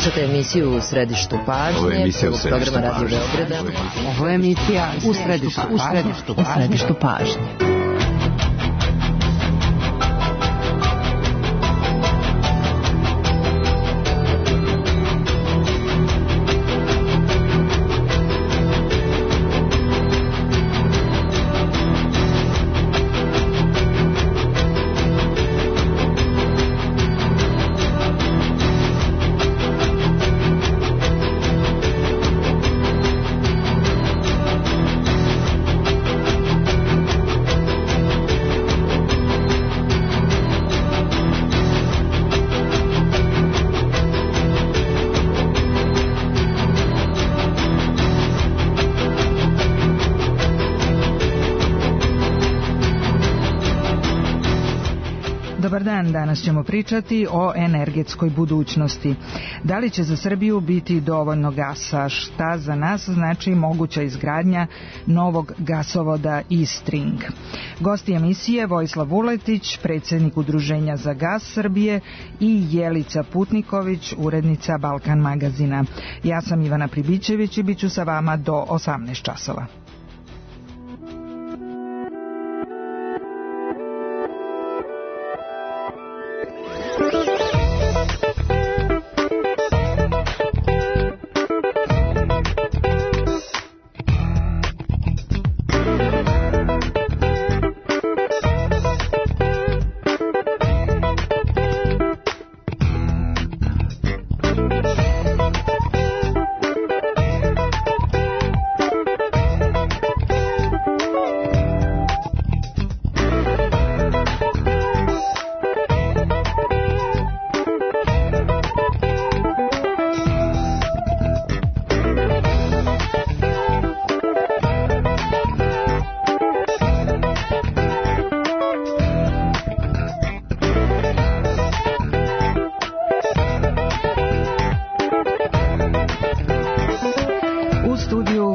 Slušate emisiju U središtu pažnje, prvog programa Radio Beograda. Ovo je emisija U središtu pažnje. Dobar dan, danas ćemo pričati o energetskoj budućnosti. Da li će za Srbiju biti dovoljno gasa? Šta za nas znači moguća izgradnja novog gasovoda Eastring? Gosti emisije Vojislav Vuletić, predsjednik Udruženja za gas Srbije, i Jelica Putniković, urednica Balkan magazina. Ja sam Ivana Pribićević i bit ću sa vama do 18 časova.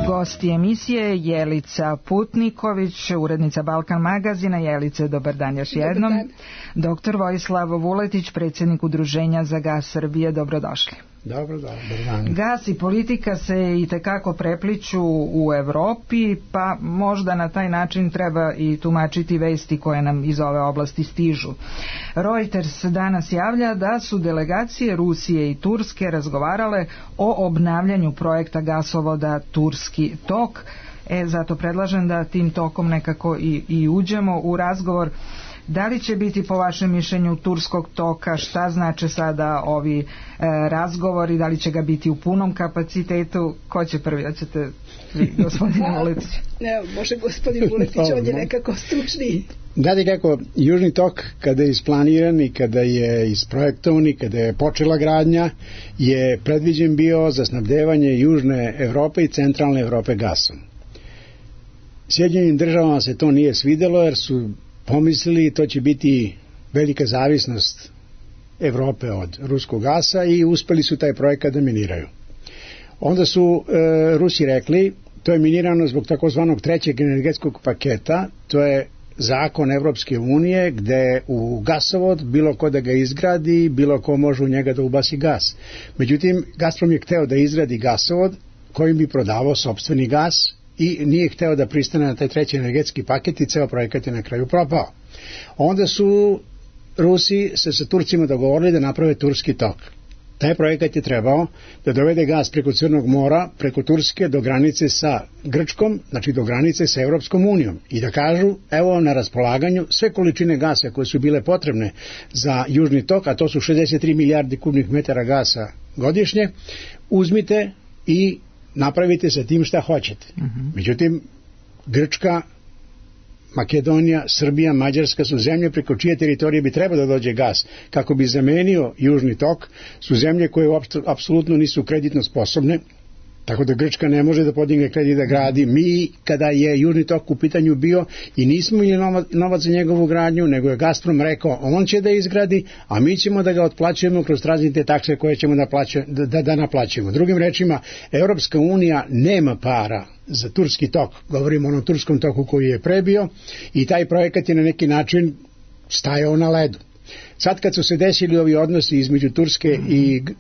Gosti emisije Jelica Putniković, urednica Balkan magazina. Jelice, dobar dan još jednom. Doktor Vojislav Vuletić, predsjednik Udruženja za gas Srbije, dobrodošli. Dobar dan. Gas i politika se itekako prepliću u Evropi, pa možda na taj način treba i tumačiti vesti koje nam iz ove oblasti stižu. Reuters danas javlja da su delegacije Rusije i Turske razgovarale o obnavljanju projekta gasovoda Turski tok. Zato predlažem da tim tokom nekako i uđemo u razgovor. Da li će biti po vašem mišljenju Turskog toka, šta znače sada ovi razgovori, da li će ga biti u punom kapacitetu? Ko će prvi? Hoćete vi, gospodine Vuletić? Može gospodin Vuletić, on je nekako stručniji. Gledaj kako, Južni tok kada je isplaniran i kada je isprojektovan i kada je počela gradnja, je predviđen bio za snabdevanje Južne Evrope i Centralne Evrope gasom. Sjedinjenim državama se to nije svidelo jer su pomislili to će biti velika zavisnost Evrope od ruskog gasa i uspeli su taj projekat da miniraju. Onda su Rusi rekli, to je minirano zbog takozvanog trećeg energetskog paketa, to je zakon Evropske unije gde u gasovod bilo ko da ga izgradi, bilo ko može u njega da ubaci gas. Međutim, Gazprom je hteo da izgradi gasovod kojim bi prodavao sopstveni gas i nije hteo da pristane na taj treći energetski paket i ceo projekat je na kraju propao. Onda su Rusi se sa Turcima dogovorili da naprave Turski tok. Taj projekat je trebao da dovede gas preko Crnog mora, preko Turske do granice sa Grčkom, znači do granice sa Evropskom unijom i da kažu, evo na raspolaganju sve količine gasa koje su bile potrebne za Južni tok, a to su 63 milijardi kubnih metara gasa godišnje, uzmite i napravite sa tim šta hoćete. Međutim, Grčka, Makedonija, Srbija, Mađarska su zemlje preko čije teritorije bi trebao da dođe gas kako bi zamenio Južni tok, su zemlje koje apsolutno nisu kreditno sposobne, tako da Grčka ne može da podigne kredit da gradi. Mi, kada je Južni tok u pitanju bio i nismo imali novac za njegovu gradnju, nego je Gazprom rekao on će da izgradi, a mi ćemo da ga otplaćujemo kroz različite takse koje ćemo da naplaćujemo. Drugim rečima, Evropska unija nema para za Turski tok, govorimo o onom Turskom toku koji je prebio i taj projekat je na neki način stajao na ledu. Sad kad su se desili ovi odnosi između Turske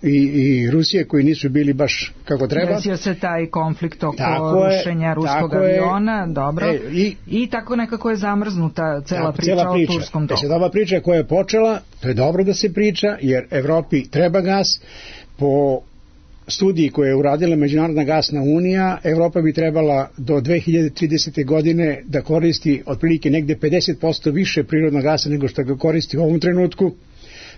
i Rusije koji nisu bili baš kako treba. Desio se taj konflikt oko rušenja ruskog aviona, dobro. I tako nekako je zamrznuta cela priča o turskom toku. Ova priča koja je počela, to je dobro da se priča, jer Evropi treba gas. Po studiji koje je uradila Međunarodna gasna unija, Evropa bi trebala do 2030. godine da koristi otprilike negde 50% više prirodnog gasa nego što ga koristi u ovom trenutku.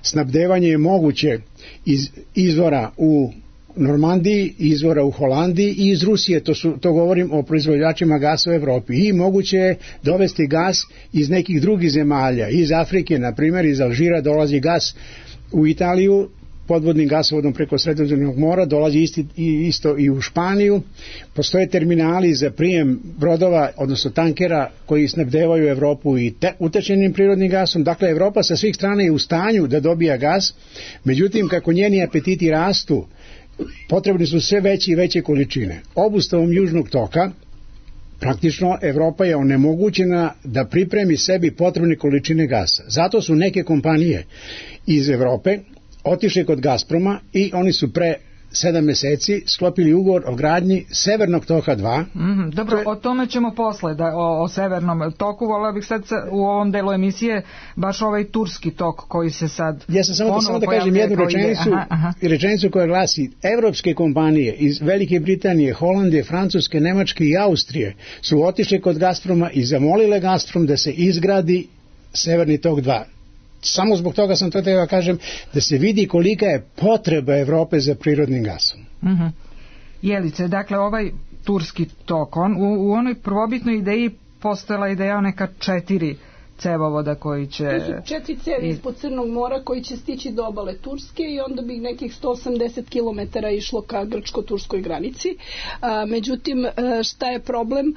Snabdevanje je moguće iz izvora u Normandiji, izvora u Holandiji i iz Rusije, to govorim o proizvođačima gasa u Evropi, i moguće je dovesti gas iz nekih drugih zemalja, iz Afrike, na primjer iz Alžira dolazi gas u Italiju, podvodnim gasovodom preko Sredozemnog mora, dolazi isto i u Španiju. Postoje terminali za prijem brodova, odnosno tankera koji snabdevaju Evropu i utečenim prirodnim gasom. Dakle, Evropa sa svih strana je u stanju da dobija gas, međutim, kako njeni apetiti rastu, potrebne su sve veće i veće količine. Obustavom južnog toka, praktično, Evropa je onemogućena da pripremi sebi potrebne količine gasa. Zato su neke kompanije iz Evrope otišli kod Gazproma i oni su pre 7 meseci sklopili ugovor o gradnji Severnog toka 2. Dobro, o tome ćemo posle, o Severnom toku. Voleo bih sad u ovom delu emisije baš ovaj turski tok koji se sad ja sam samo da kažem jednu rečenicu koja glasi: evropske kompanije iz Velike Britanije, Holandije, Francuske, Nemačke i Austrije su otišli kod Gazproma i zamolile Gazprom da se izgradi Severni tok 2. Samo zbog toga sam to treba kažem, da se vidi kolika je potreba Evrope za prirodnim gasom. Jelice, dakle ovaj turski tok, u onoj prvobitnoj ideji postojala ideja o neka 4 cevovoda koji će... To su 4 cevi ispod Crnog mora koji će stići do obale Turske i onda bi nekih 180 km išlo ka grčko-turskoj granici. Međutim, šta je problem?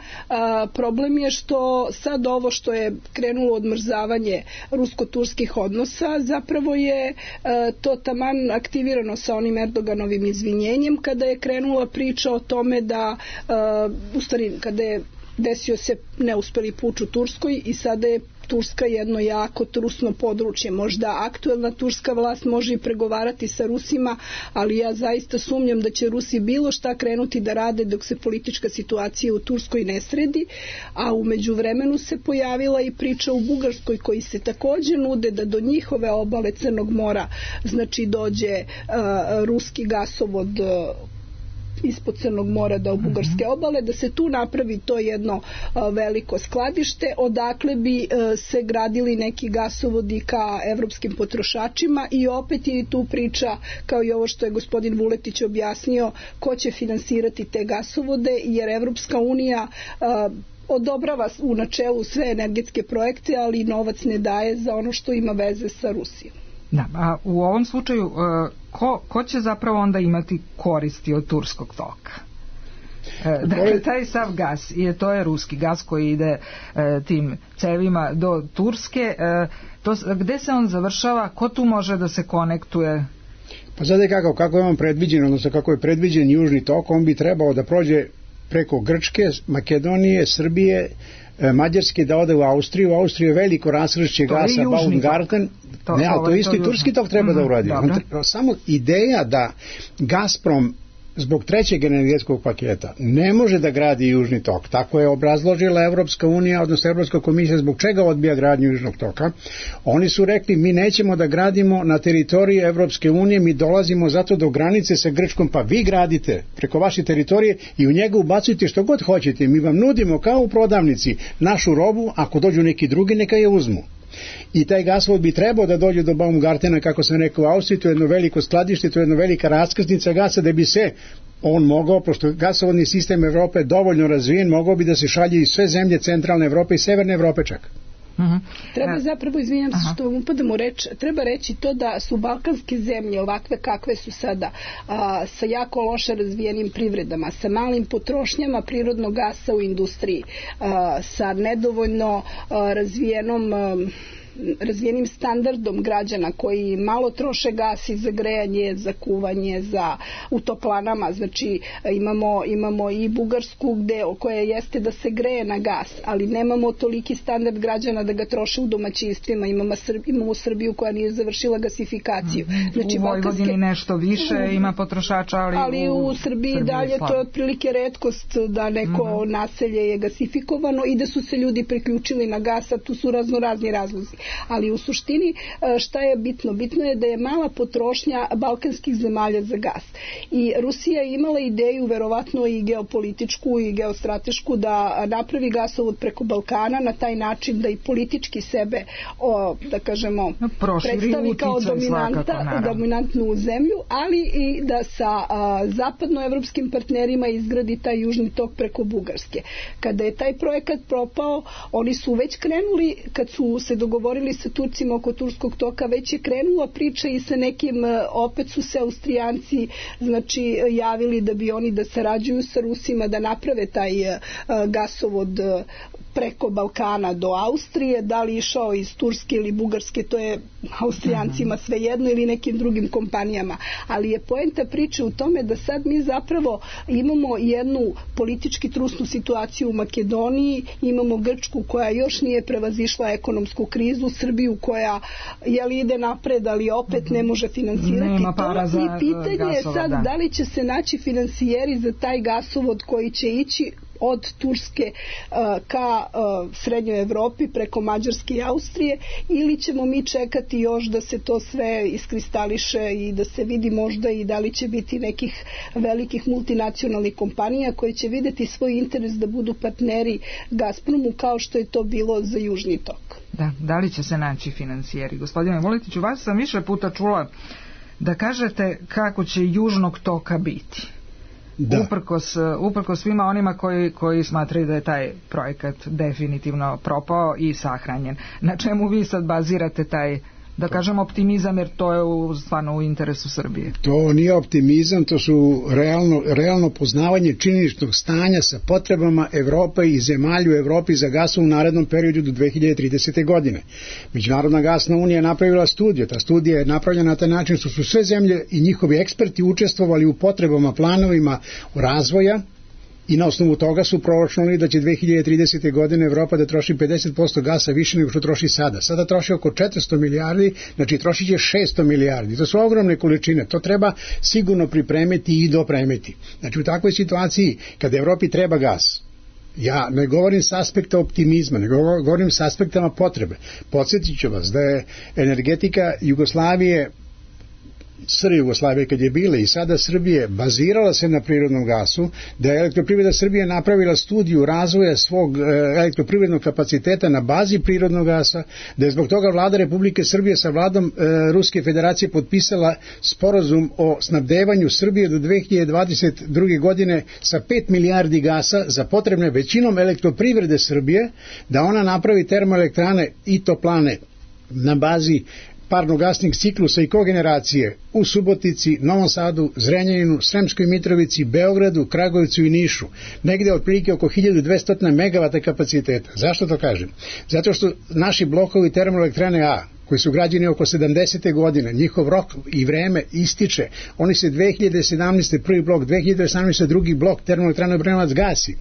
Problem je što sad ovo što je krenulo odmrzavanje rusko-turskih odnosa, zapravo je to taman aktivirano sa onim Erdoganovim izvinjenjem kada je krenula priča o tome da, u stvari, kada je desio se neuspeli puč u Turskoj i sada je Turska jedno jako trusno područje. Možda aktuelna turska vlast može i pregovarati sa Rusima, ali ja zaista sumnjam da će Rusi bilo šta krenuti da rade dok se politička situacija u Turskoj ne sredi, a u međuvremenu se pojavila i priča u Bugarskoj koji se također nude da do njihove obale Crnog mora znači dođe ruski gasovod ispod Crnog mora do bugarske obale, da se tu napravi to jedno veliko skladište, odakle bi se gradili neki gasovodi ka evropskim potrošačima i opet je tu priča, kao i ovo što je gospodin Vuletić objasnio, ko će finansirati te gasovode, jer Evropska unija odobrava u načelu sve energetske projekte, ali novac ne daje za ono što ima veze sa Rusijom. Da, a u ovom slučaju ko će zapravo onda imati koristi od turskog toka? Dakle, taj sav gas, to je ruski gas koji ide tim cevima do Turske, gde se on završava, ko tu može da se konektuje? Pa sad je kako je on predviđen, odnosno kako je predviđen južni tok, on bi trebao da prođe preko Grčke, Makedonije, Srbije, Mađarske, da ode u Austriju. U Austriju je veliko rasršće gasa Baumgarten. Ne, ali to isto i turski tok treba da uradi. Samo ideja da Gazprom zbog trećeg energetskog paketa ne može da gradi južni tok. Tako je obrazložila Evropska unija, odnosno Evropska komisija zbog čega odbija gradnju južnog toka. Oni su rekli mi nećemo da gradimo na teritoriji Evropske unije, mi dolazimo zato do granice sa Grčkom, pa vi gradite preko vaše teritorije i u njega ubacujte što god hoćete. Mi vam nudimo kao u prodavnici našu robu, ako dođu neki drugi neka je uzmu. I taj gasovod bi trebao da dođe do Baumgartena, kako sam rekao, u Austriji, to je jedno veliko skladište, to je jedna velika raskrsnica gasa, da bi se on mogao, pošto gasovodni sistem Evrope je dovoljno razvijen, mogao bi da se šalje i sve zemlje centralne Evrope i severne Evrope čak. Treba zapravo, izvinjam se što vam upadam u reč, treba reći to da su balkanske zemlje ovakve kakve su sada, sa jako loše razvijenim privredama, sa malim potrošnjama prirodnog gasa u industriji, sa nedovoljno razvijenom razvijenim standardom građana koji malo troše gas i za grejanje, za kuvanje, u toplanama, znači imamo i Bugarsku koja jeste da se greje na gas, ali nemamo toliki standard građana da ga troše u domaćinstvima, imamo Srbiju koja nije završila gasifikaciju. Znači, u Vojvodini nešto više ima potrošača, ali u Srbiji dalje to je otprilike retkost da neko naselje je gasifikovano i da su se ljudi priključili na gas, a tu su razni razlozi. Ali u suštini šta je bitno? Bitno je da je mala potrošnja balkanskih zemalja za gas. I Rusija je imala ideju, verovatno i geopolitičku i geostratešku, da napravi gasovod preko Balkana na taj način da i politički sebe, da kažemo, predstavi kao dominantnu zemlju, ali i da sa zapadnoevropskim partnerima izgradi taj južni tok preko Bugarske. Kada je taj projekat propao, oni su već krenuli, kad su se dogovorili sa Turcima oko Turskog toka, već je krenula priča i sa nekim, opet su se Austrijanci javili da bi oni da sarađuju sa Rusima, da naprave taj gasovod preko Balkana do Austrije, da li išao iz Turske ili Bugarske, to je Austrijancima svejedno, ili nekim drugim kompanijama. Ali je poenta priče u tome da sad mi zapravo imamo jednu politički trusnu situaciju u Makedoniji, imamo Grčku koja još nije prevazišla ekonomsku krizu, Srbiju koja ide napred, ali opet ne može finansirati to. I pitanje je sad da li će se naći finansijeri za taj gasovod koji će ići od Turske ka Srednjoj Evropi preko Mađarske i Austrije, ili ćemo mi čekati još da se to sve iskristališe i da se vidi možda i da li će biti nekih velikih multinacionalnih kompanija koje će videti svoj interes da budu partneri Gazpromu kao što je to bilo za Južni tok. Da li će se naći finansijeri? Gospodine Vuletiću, vas sam više puta čula da kažete kako će Južnog toka biti. Uprkos svima onima koji smatraju da je taj projekat definitivno propao i sahranjen. Na čemu vi sad bazirate taj, da kažem, optimizam, jer to je stvarno u interesu Srbije? To nije optimizam, to su realno poznavanje činjeničnog stanja sa potrebama Evrope i zemalja u Evropi za gasom u narednom periodu do 2030. godine. Međunarodna gasna unija je napravila studiju. Ta studija je napravljena na taj način što su sve zemlje i njihovi eksperti učestvovali u potrebama, planovima razvoja, i na osnovu toga su proračunali da će 2030. godine Evropa da troši 50% gasa više nego što troši sada. Sada troši oko 400 milijardi, znači trošit će 600 milijardi. To su ogromne količine, to treba sigurno pripremiti i dopremiti. Znači u takvoj situaciji kada Evropi treba gas, ja ne govorim s aspekta optimizma, ne govorim s aspektama potrebe. Podsjetit ću vas da je energetika Jugoslavije, SR Jugoslavije kad je bila i sada Srbije, bazirala se na prirodnom gasu, da je Elektroprivreda Srbije napravila studiju razvoja svog elektroprivrednog kapaciteta na bazi prirodnog gasa, da je zbog toga vlada Republike Srbije sa vladom Ruske federacije potpisala sporazum o snabdevanju Srbije do 2022. godine sa 5 milijardi gasa za potrebne većinom Elektroprivrede Srbije, da ona napravi termoelektrane i toplane na bazi parnogasnih ciklusa i kogeneracije u Subotici, Novom Sadu, Zrenjaninu, Sremskoj Mitrovici, Beogradu, Kragujevcu i Nišu. Negde otprilike oko 1200 megavata kapaciteta. Zašto to kažem? Zato što naši blokovi termoelektrane A, koji su građeni oko 70. godine, njihov rok i vreme ističe. Oni se 2017. prvi blok, 2018. drugi blok termoelektrane Obrenovac gasi.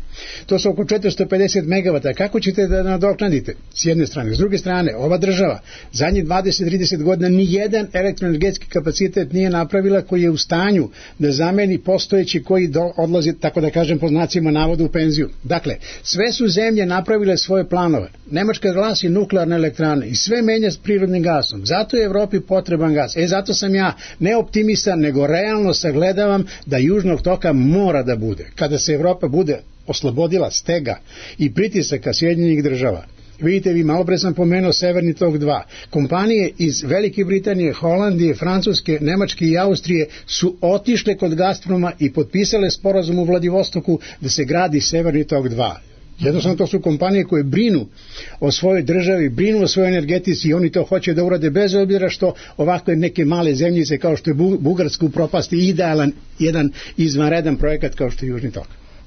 To su oko 450 megavata. Kako ćete da nadoknadite? S jedne strane. S druge strane, ova država zadnjih 20-30 godina nijedan elektroenergetski kapacitet nije napravila koji je u stanju da zameni postojeći koji odlazi, tako da kažem, po znacima navoda u penziju. Dakle, sve su zemlje napravile svoje planove. Nemačka glasi nuklearne elektrane i sve menja s prirodnim gasom. Zato je Evropi potreban gas. Zato sam ja ne optimista, nego realno sagledavam da Južnog toka mora da bude. Kada se Evropa bude oslobodila stega i pritisaka Sjedinjenih država. Vidite, vi malo pre sam pomenuo Severni tok 2. Kompanije iz Velike Britanije, Holandije, Francuske, Nemačke i Austrije su otišle kod Gazproma i potpisale sporazum u Vladivostoku da se gradi Severni tok 2. Jednostavno to su kompanije koje brinu o svojoj državi, brinu o svojoj energetici i oni to hoće da urade bez obzira što ovakve neke male zemljice kao što je Bugarska upropasti idealan jedan izvanredan projekat kao što je Južni tok.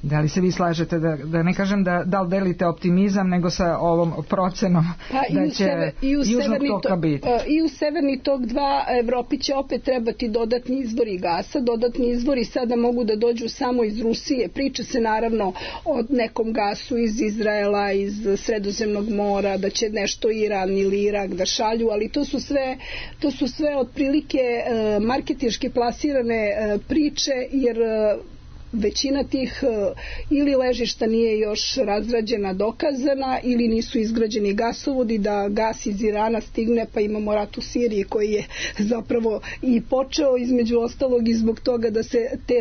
Da li se vi slažete, da ne kažem da li delite optimizam, nego sa ovom procenom da će Južnog toka biti? I u Severni tok 2 Evropi će opet trebati dodatni izvori gasa. Dodatni izvori sada mogu da dođu samo iz Rusije. Priča se naravno o nekom gasu iz Izraela, iz Sredozemnog mora, da će nešto Iran ili Irak da šalju, ali to su sve otprilike marketinški plasirane priče, jer većina tih ili ležišta nije još razrađena, dokazana, ili nisu izgrađeni gasovodi da gas iz Irana stigne, pa imamo rat u Siriji koji je zapravo i počeo između ostalog i zbog toga da se te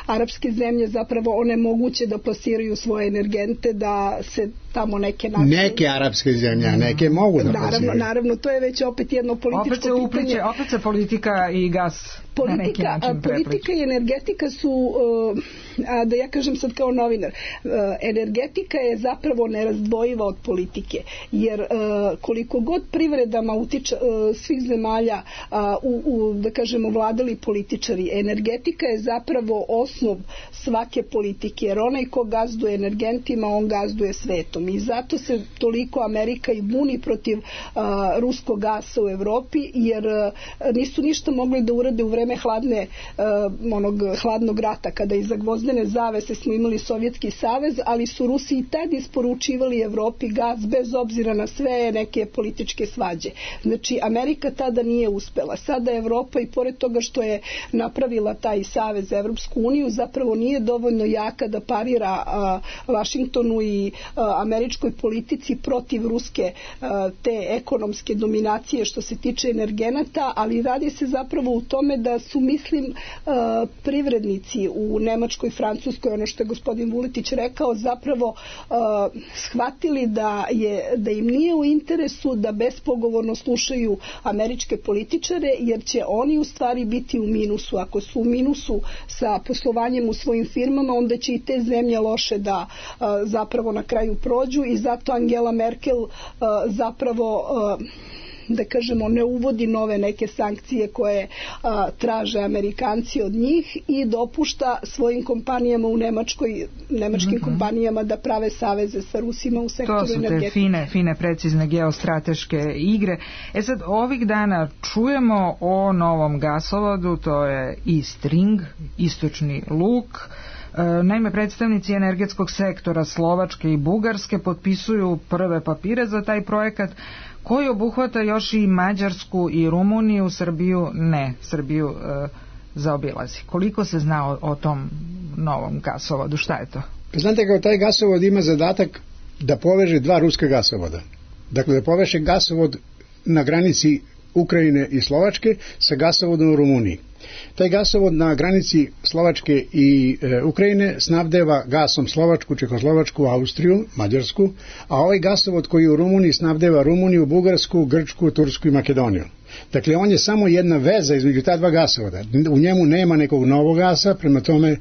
arapske zemlje zapravo onemoguće da plasiraju svoje energente, da se tamo neke arapske zemlje, a neke mogu da plasiraju. Naravno, to je već opet jedno političko pitanje. Opet se politika i gas na neki način prepliče. Politika i energetika su, da ja kažem sad kao novinar, energetika je zapravo nerazdvojiva od politike, jer koliko god privredama utiče svih zemalja da kažemo vladali političari, energetika je zapravo osnov svake politike, jer onaj ko gazduje energentima, on gazduje svetom, i zato se toliko Amerika i buni protiv ruskog gasa u Evropi, jer nisu ništa mogli da urade u vreme hladnog rata, kada iza gvozdene zavese smo imali Sovjetski savez, ali su Rusi i tad isporučivali Evropi gas bez obzira na sve neke političke svađe. Znači, Amerika tada nije uspela. Sada Evropa, i pored toga što je napravila taj savez za Evropsku uniju, zapravo nije dovoljno jaka da parira Vašingtonu i američkoj politici protiv ruske te ekonomske dominacije što se tiče energenata, ali radi se zapravo u tome da su, mislim, privrednici u Nemačkoj, Francuskoj, ono što je gospodin Vuletić rekao, zapravo shvatili da im nije u interesu da bespogovorno slušaju američke političare, jer će oni u stvari biti u minusu. Ako su u minusu sa poslovanjem u svojim firmama, onda će i te zemlje loše da zapravo na kraju prođu, i zato Angela Merkel zapravo da kažemo ne uvodi nove neke sankcije koje traže Amerikanci od njih, i dopušta svojim kompanijama u nemačkim kompanijama da prave saveze sa Rusima u sektoru energetike. To su te fine, precizne geostrateške igre. Sad, ovih dana čujemo o novom gasovodu, to je East Ring, istočni luk. Naime, predstavnici energetskog sektora Slovačke i Bugarske potpisuju prve papire za taj projekat, koji obuhvata još i Mađarsku i Rumuniju. Srbiju zaobilazi. Koliko se zna o tom novom gasovodu? Šta je to? Znate, kao taj gasovod ima zadatak da poveže dva ruska gasovoda. Dakle, da poveže gasovod na granici Ukrajine i Slovačke sa gasovodom u Rumuniji. Taj gasovod na granici Slovačke i Ukrajine snabdeva gasom Slovačku, Čehoslovačku, Austriju, Mađarsku, a ovaj gasovod koji u Rumuniji snabdeva Rumuniju, Bugarsku, Grčku, Tursku i Makedoniju. Dakle, on je samo jedna veza između ta dva gasovoda. U njemu nema nekog novog gasa, prema tome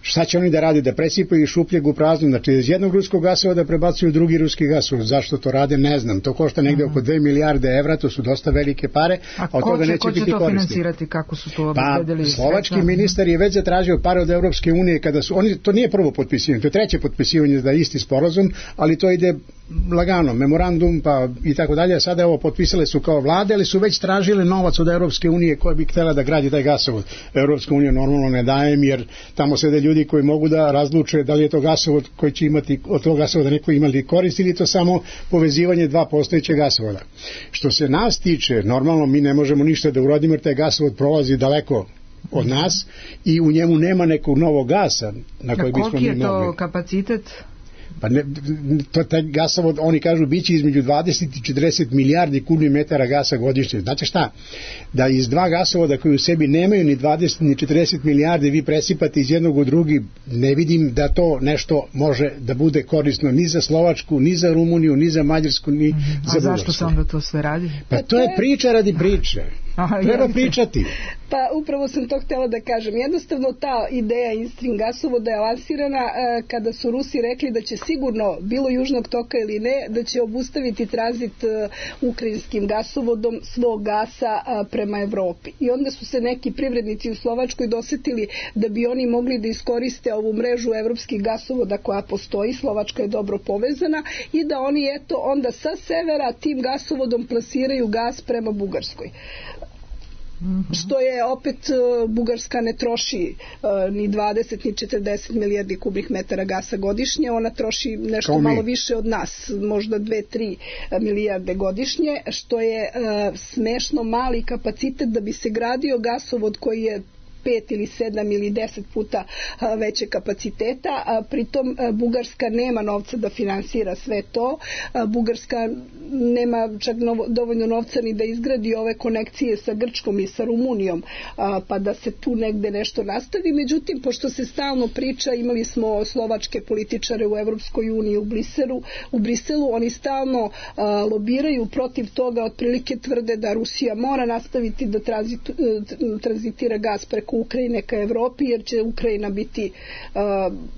šta će oni da radi, da presipaju šupljeg u praznu, znači iz jednog ruskog gasovoda prebacuju drugi ruski gasovod. Zašto to rade, ne znam. To košta negde oko 2 milijarde evra, to su dosta velike pare, a od toga neće biti koristi. Ko će to finansirati, kako su to obezbedili? Slovački ministar je već zatražio pare od Evropske unije, kada su oni, to nije prvo potpisivanje, to je treće potpisivanje da je isti sporazum, ali to ide lagano, memorandum pa i tako dalje. Sada ovo potpisale su kao vlade, ali su već tražile novac od Evropske unije koja bi htjela da gradi taj gasovod. Evropska unija normalno ne daje, jer tamo sede ljudi koji mogu da razluče da li je to gasovod koji će imati od tog gasovoda neko imali korist, ili to samo povezivanje dva postojeće gasovoda. Što se nas tiče, normalno mi ne možemo ništa da uradimo, jer taj gasovod prolazi daleko od nas i u njemu nema nekog novog gasa na koji bismo mi mogli. Koliki je to kapacitet? Pa ne, taj gasovod, oni kažu, biće između 20 i 40 milijardi kubnih metara gasa godišnje. Znate šta? Da iz dva gasovoda koji u sebi nemaju ni 20 ni 40 milijardi vi presipate iz jednog u drugi, ne vidim da to nešto može da bude korisno ni za Slovačku, ni za Rumuniju, ni za Mađarsku, ni za Bugarsku. A zašto se onda to sve radi? Pa to je priča radi priče. Treba pričati. Pa upravo sam to htjela da kažem. Jednostavno ta ideja Instream gasovoda je lansirana kada su Rusi rekli da će sigurno, bilo Južnog toka ili ne, da će obustaviti tranzit ukrajinskim gasovodom svog gasa prema Evropi. I onda su se neki privrednici u Slovačkoj dosetili da bi oni mogli da iskoriste ovu mrežu evropskih gasovoda koja postoji, Slovačka je dobro povezana, i da oni onda sa severa tim gasovodom plasiraju gas prema Bugarskoj. Što je opet Bugarska ne troši ni 20 ni 40 milijardi kubnih metara gasa godišnje, ona troši nešto malo više od nas, možda 2-3 milijarde godišnje, što je smešno mali kapacitet da bi se gradio gasovod koji je 5 ili 7 ili 10 puta veće kapaciteta, a pritom Bugarska nema novca da finansira sve to. Bugarska nema čak dovoljno novca ni da izgradi ove konekcije sa Grčkom i sa Rumunijom, pa da se tu negde nešto nastavi. Međutim, pošto se stalno priča, imali smo slovačke političare u Evropskoj uniji u Briselu, oni stalno lobiraju protiv toga, otprilike tvrde da Rusija mora nastaviti da tranzitira gas preko Ukrajine ka Evropi, jer će Ukrajina biti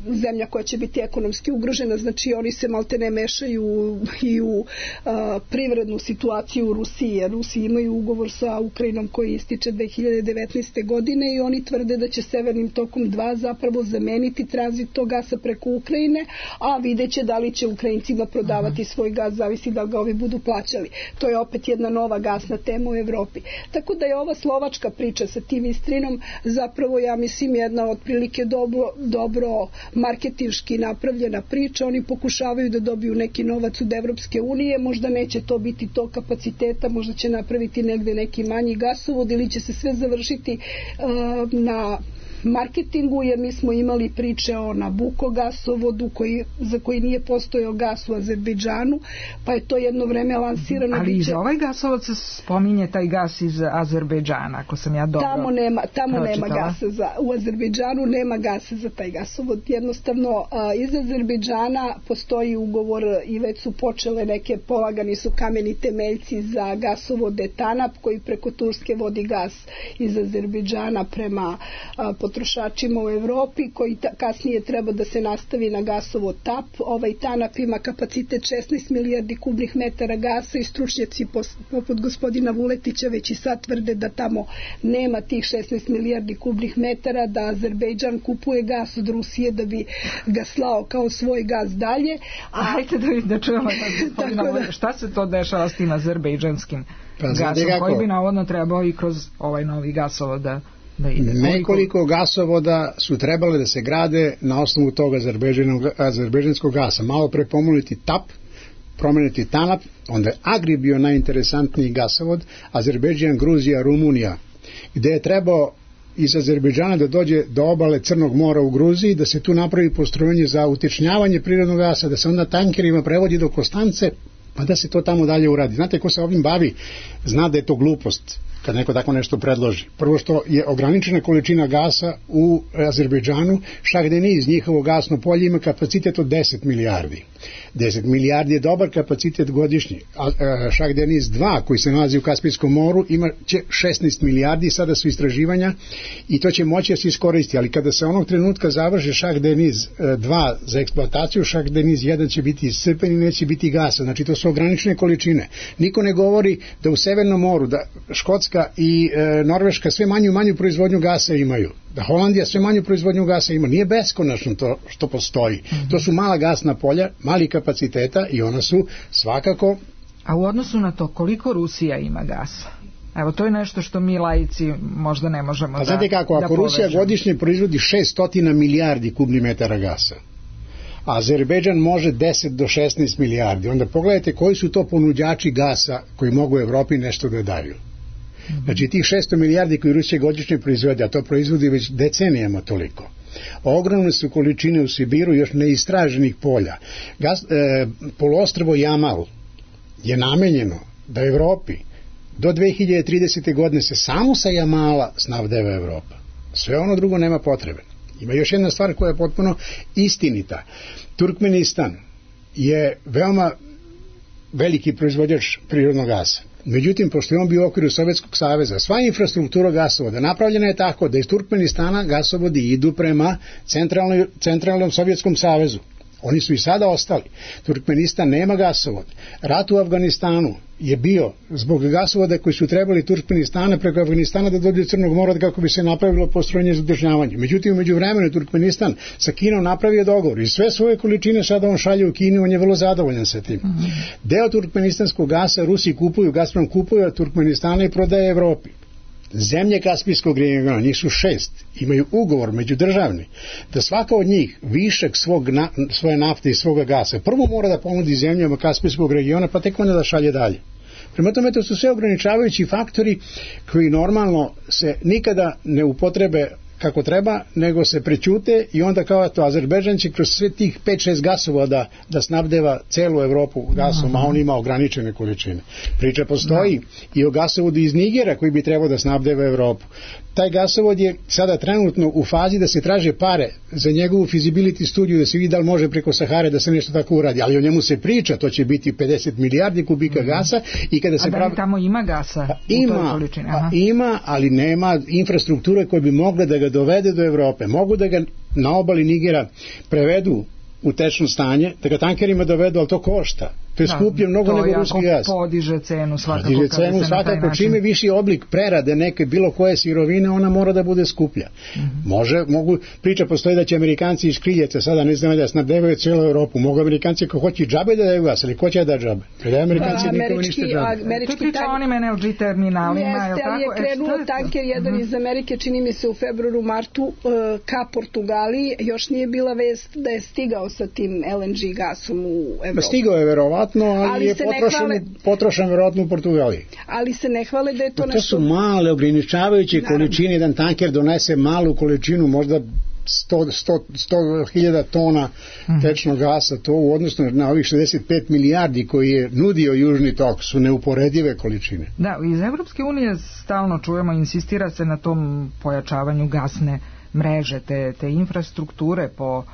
zemlja koja će biti ekonomski ugrožena, znači oni se maltene mešaju i u privrednu situaciju u Rusiji, jer Rusi imaju ugovor sa Ukrajinom koji ističe 2019. godine i oni tvrde da će Severnim tokom 2 zapravo zameniti tranzit tog gasa preko Ukrajine, a videće da li će Ukrajincima prodavati svoj gas, zavisi da ga ovi budu plaćali. To je opet jedna nova gasna tema u Evropi. Tako da je ova slovačka priča sa tim Istrinom zapravo, ja mislim, jedna otprilike dobro marketinški napravljena priča. Oni pokušavaju da dobiju neki novac od Evropske unije, možda neće to biti to kapaciteta, možda će napraviti negde neki manji gasovod ili će se sve završiti na marketingu, jer mi smo imali priče o Nabuko gasovodu za koji nije postojao gas u Azerbejdžanu, pa je to jedno vreme lansirano. Ali i za ovaj gasovod se spominje taj gas iz Azerbejdžana, ako sam ja dobro Tamo nema gasa, u Azerbejdžanu nema gasa za taj gasovod. Jednostavno, iz Azerbejdžana postoji ugovor i već su počele polagani su kameni temeljci za gasovode TANAP, koji preko Turske vodi gas iz Azerbejdžana prema potrošačima u Evropi, koji kasnije treba da se nastavi na gasovod TAP. Ovaj TANAP ima kapacitet 16 milijardi kubnih metara gasa i stručnjaci poput gospodina Vuletića već i sad tvrde da tamo nema tih 16 milijardi kubnih metara, da Azerbejdžan kupuje gas od Rusije da bi ga slao kao svoj gas dalje. Hajde da čujemo šta se to dešava s tim azerbejdžanskim gasom, koji bi navodno trebao i kroz ovaj novi gasovod da ide. Nekoliko gasovoda su trebale da se grade na osnovu tog azerbejdžanskog gasa. Malo pre pomoliti TAP, promeniti TANAP, onda je Agri bio najinteresantniji gasovod, Azerbejdžan, Gruzija, Rumunija, gde je trebao iz Azerbejdžana da dođe do obale Crnog mora u Gruziji, da se tu napravi postrojenje za utečnjavanje prirodnog gasa, da se onda tankerima prevodi do Konstance, pa da se to tamo dalje uradi. Znate, ko se ovim bavi, zna da je to glupost kad neko tako nešto predloži. Prvo što je ograničena količina gasa u Azerbejdžanu, Šahdeniz, njihovo gasno polje, ima kapacitet od 10 milijardi. 10 milijardi je dobar kapacitet godišnji. Šahdeniz 2, koji se nalazi u Kaspijskom moru, ima će 16 milijardi, sada su istraživanja i to će moći da se iskoristi, ali kada se onog trenutka završi Šahdeniz 2 za eksploataciju, Šahdeniz 1 će biti iscrpen i neće biti gasa. Znači, to su ograničene količine. Niko ne govori da u Severnom moru, da Škotska i Norveška sve manju proizvodnju gasa imaju, da Holandija sve manju proizvodnju gasa ima. Nije beskonačno to što postoji. To su mala gasna polja, mali kapaciteta i ona su svakako... A u odnosu na to, koliko Rusija ima gasa? Evo, to je nešto što mi laici možda ne možemo da znate kako, ako Rusija godišnje proizvodi 600 milijardi kubnih metara gasa, a Azerbejdžan može 10 do 16 milijardi, onda pogledajte koji su to ponuđači gasa koji mogu u Evropi nešto da daju. Znači, tih 600 milijardi koji Rusija godišnje proizvode, a to proizvodi već decenijama toliko. Ogromne su količine u Sibiru još neistraženih polja. Poluostrvo Jamal je namenjeno da Evropi do 2030. godine se samo sa Jamala snabdeva Evropa. Sve ono drugo nema potrebe. Ima još jedna stvar koja je potpuno istinita. Turkmenistan je veoma veliki proizvođač prirodnog gasa. Međutim, pošto je on bio u okviru Sovjetskog saveza, sva infrastruktura gasovoda napravljena je tako da iz Turkmenistana gasovodi idu prema centralnom Sovjetskom savezu. Oni su i sada ostali. Turkmenistan nema gasovod. Rat u Afganistanu je bio zbog gasovoda koji su trebali Turkmenistana preko Afganistana da dođe do Crnog mora kako bi se napravilo postrojenje za održavanje. Međutim, u međuvremenu Turkmenistan sa Kinom napravio dogovor i sve svoje količine sada on šalje u Kinu, on je vrlo zadovoljan sa tim. Deo turkmenistanskog gasa Rusi kupuju, Gazprom kupuje od Turkmenistana i prodaje Evropi. Zemlje Kaspijskog regiona, njih su 6, imaju ugovor međudržavni da svaka od njih višak svoje nafte i svoga gasa prvo mora da ponudi zemljama Kaspijskog regiona, pa tek onda da šalje dalje. Prema tome, to su sve ograničavajući faktori koji normalno se nikada ne upotrebe kako treba, nego se prećute i onda kao to Azerbejdžan će kroz sve tih 5-6 gasovoda da snabdeva celu Evropu gasom, a on ima ograničene količine. Priča postoji i o gasovodu iz Nigera koji bi trebao da snabdeva Evropu. Taj gasovod je sada trenutno u fazi da se traže pare za njegovu feasibility studiju, da se vidi da li može preko Sahare da se nešto tako uradi, ali o njemu se priča, to će biti 50 milijardi kubika gasa i kada se a da li tamo ima gasa u toj količini? Ima, ali nema infrastrukture koje bi mogle da ga dovede do Evrope. Mogu da ga na obali Nigera prevedu u tečno stanje, da ga tankerima dovedu, ali to košta. To je skuplje mnogo nego ruski gas. To podiže cenu svakako. Podiže cenu svakako, čime viši oblik prerade neke bilo koje sirovine, ona mora da bude skuplja. Priča postoji da će Amerikanci iz Kriljeca sada ne znam da snabdevaju cijelu Europu. Mogu Amerikanci ko hoće džabe da daju gas, ali ko će da džabe? Da Amerikanci nikome ništa džabe. To priča o onim NLG terminalima. Jeste, ali je krenuo tanker jedan iz Amerike, čini mi se u februaru, martu, ka Portugaliji. Još nije bila vest da je stigao sa tim LNG gasom u Evropu. Stigao je verovatno, ali je potrošen verovatno u Portugaliji. Ali se ne hvale da je to nešto... To su male ograničavajuće količine, jedan tanker donese malu količinu, možda 100.000 tona tečnog gasa, to u odnosu na ovih 65 milijardi koji je nudio Južni tok su neuporedive količine. Da, iz Evropske unije stalno čujemo, insistira se na tom pojačavanju gasne mreže, te infrastrukture po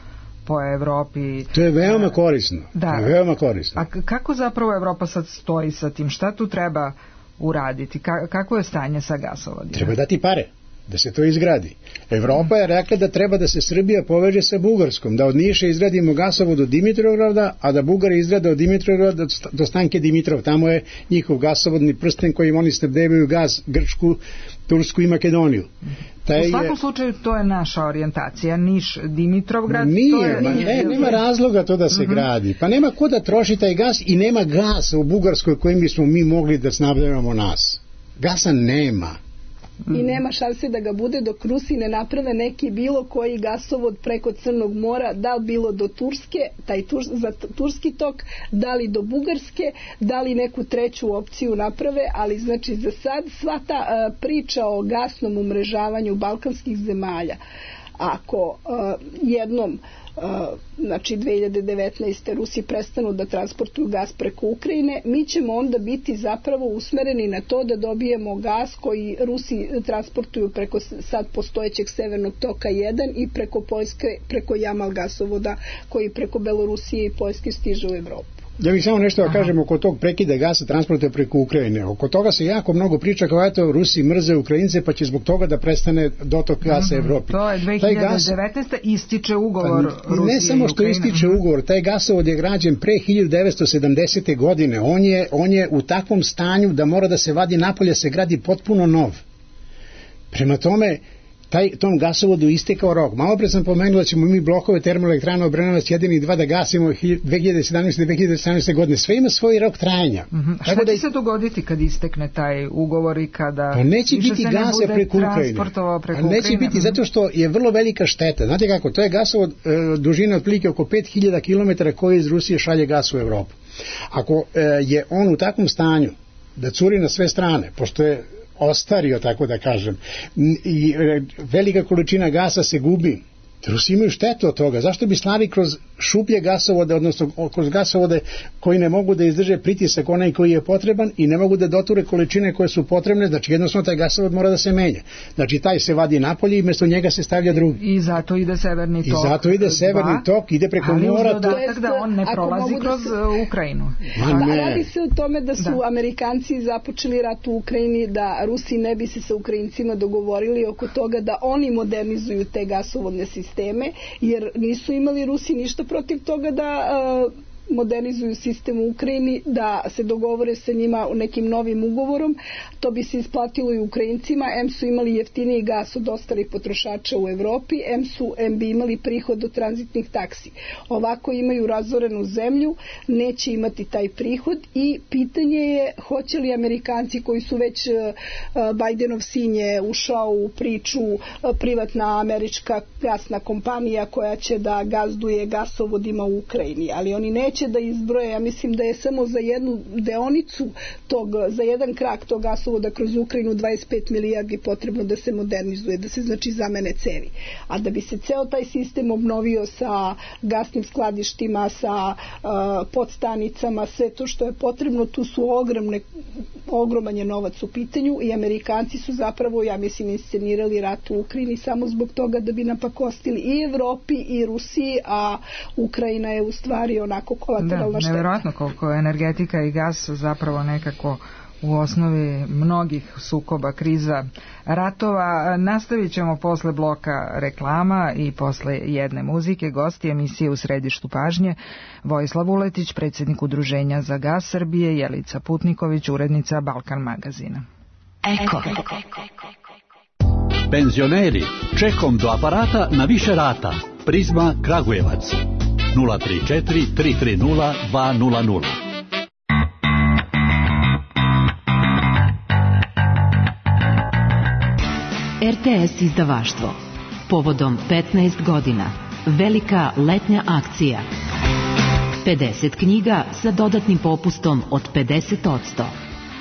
Evropi. To je veoma korisno. Da. To je veoma korisno. A kako zapravo Evropa sad stoji sa tim? Šta tu treba uraditi? Kako je stanje sa gasovodima? Treba dati pare da se to izgradi. Evropa je rekla da treba da se Srbija poveže sa Bugarskom, da od Niša izgradimo gasovod do Dimitrovgrada, a da Bugari izgrade od Dimitrovgrada do Stanke Dimitrov. Tamo je njihov gasovodni prsten kojim oni snabdevaju gas Grčku, Tursku i Makedoniju. U svakom slučaju to je naša orijentacija, Niš, Dimitrovgrad. Nema razloga to da se gradi. Pa nema ko da troši taj gas i nema gasa u Bugarskoj kojim bismo mi mogli da snabdevamo nas. Gasa nema. I nema šanse da ga bude dok Rusi ne naprave neki bilo koji gasovod preko Crnog mora, da li bilo do Turske, za turski tok, da li do Bugarske, da li neku treću opciju naprave, ali znači za sad sva ta priča o gasnom umrežavanju balkanskih zemalja, ako jednom znači 2019. Rusi prestanu da transportuju gas preko Ukrajine, mi ćemo onda biti zapravo usmereni na to da dobijemo gas koji Rusi transportuju preko sad postojećeg Severnog toka 1 i preko Poljske, preko Jamal gasovoda koji preko Belorusije i Poljske stiže u Evropu. Ja bih samo nešto da kažem oko tog prekida gasa transporta preko Ukrajine. Oko toga se jako mnogo priča kao eto Rusi mrze Ukrajince pa će zbog toga da prestane dotok gasa Evropi. To je 2019. ističe ugovor Rusije. Ne samo što ističe ugovor, taj gasovod je građen pre 1970. godine. On je u takvom stanju da mora da se vadi napolje, se gradi potpuno nov. Prema tome, tom gasovodu istekao rok. Malo pre sam pomenuo da ćemo mi blokove termoelektrana Obrenovac 1 i 2 da gasimo 2017. i 2018. godine. Sve ima svoj rok trajanja. Šta će se dogoditi kad istekne taj ugovor i kada... Pa neće biti gasa preko Ukrajine. Neće biti zato što je vrlo velika šteta. Znate kako, to je gasovod dužine otprilike oko 5000 km koji iz Rusije šalje gas u Evropu. Ako je on u takvom stanju da curi na sve strane, pošto je ostario, tako da kažem, i velika količina gasa se gubi. Rusi imaju štetu od toga. Zašto bi slali kroz šuplje gasovode, odnosno kroz gasovode koji ne mogu da izdrže pritisak onaj koji je potreban i ne mogu da doture količine koje su potrebne, znači jednostavno taj gasovod mora da se menja. Znači taj se vadi napolje i mjesto njega se stavlja drugi. I zato ide severni tok. I zato ide severni tok, ide preko mora. Ali uz dodatak da on ne prolazi kroz Ukrajinu. Radi se o tome da su Amerikanci započeli rat u Ukrajini, da Rusi ne bi se sa Ukrajincima dogovorili oko toga da oni modernizuju te gasovodne sisteme, jer nisu imali Rusi ništa protiv toga da modernizuju sistem u Ukrajini, da se dogovore sa njima nekim novim ugovorom. To bi se isplatilo i Ukrajincima. M su imali jeftiniji gas od ostalih potrošača u Evropi, M bi imali prihod od tranzitnih taksi. Ovako imaju razorenu zemlju, neće imati taj prihod i pitanje je hoće li Amerikanci koji su već Bajdenov sin je ušao u priču, privatna američka gasna kompanija koja će da gazduje gasovodima u Ukrajini, ali oni neće da izbroje, ja mislim da je samo za jednu deonicu za jedan krak tog gasovoda kroz Ukrajinu 25 milijardi potrebno da se modernizuje, da se znači zamene cevi. A da bi se ceo taj sistem obnovio sa gasnim skladištima, sa podstanicama, sve to što je potrebno, tu su ogroman je novac u pitanju i Amerikanci su zapravo, ja mislim, inscenirali rat u Ukrajini samo zbog toga da bi napakostili i Evropi i Rusiji, a Ukrajina je u stvari onako kolateralna šteta. Nevjerojatno koliko energetika i gas zapravo nekako u osnovi mnogih sukoba, kriza, ratova. Nastavit ćemo posle bloka reklama i posle jedne muzike. Gosti emisije U središtu pažnje: Vojislav Vuletić, predsjednik Udruženja za gas Srbije, Jelica Putniković, urednica Balkan magazina. Eko. Penzioneri, čekom do aparata na više rata. Prizma Kragujevac 034 330 200. RTS izdavaštvo. Povodom 15 godina. Velika letnja akcija. 50 knjiga sa dodatnim popustom od 50%.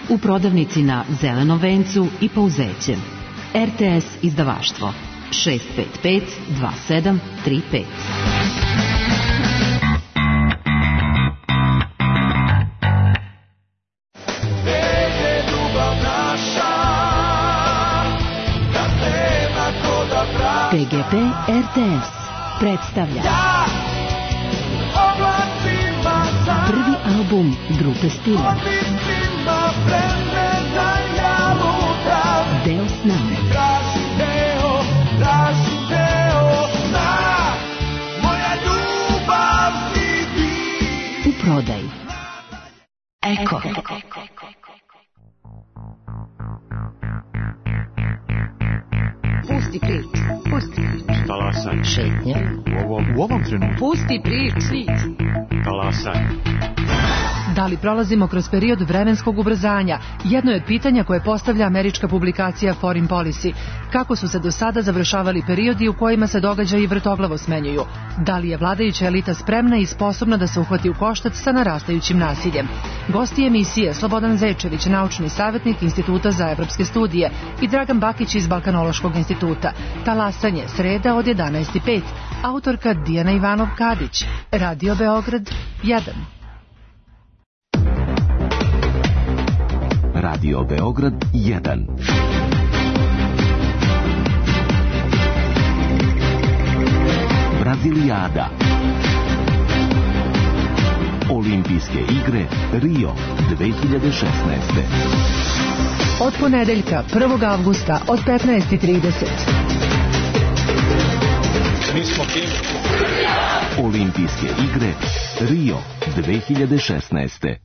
U prodavnici na Zelenom vencu i Pauzećem. RTS izdavaštvo. 655 2735. PGP RTS predstavlja prvi album grupe Stila. Deo s nama. U prodaji. Eko. Pusti prič. Talasaj. Šetnja. U ovom trenutku. Pusti prič. Talasaj. Da li prolazimo kroz period vremenskog ubrzanja? Jedno je od pitanja koje postavlja američka publikacija Foreign Policy. Kako su se do sada završavali periodi u kojima se događaji vrtoglavo smenjuju? Da li je vladajuća elita spremna i sposobna da se uhvati u koštac sa narastajućim nasiljem? Gosti emisije Slobodan Zečević, naučni savjetnik Instituta za evropske studije, i Dragan Bakić iz Balkanološkog instituta. Talasanje, sreda od 11:05. Autorka Dijana Ivanov-Kadić. Radio Beograd 1. Radio Beograd 1. Brazilijada. Olimpijske igre Rio 2016. Od ponedeljka 1. avgusta od 15:30. Olimpijske igre Rio 2016.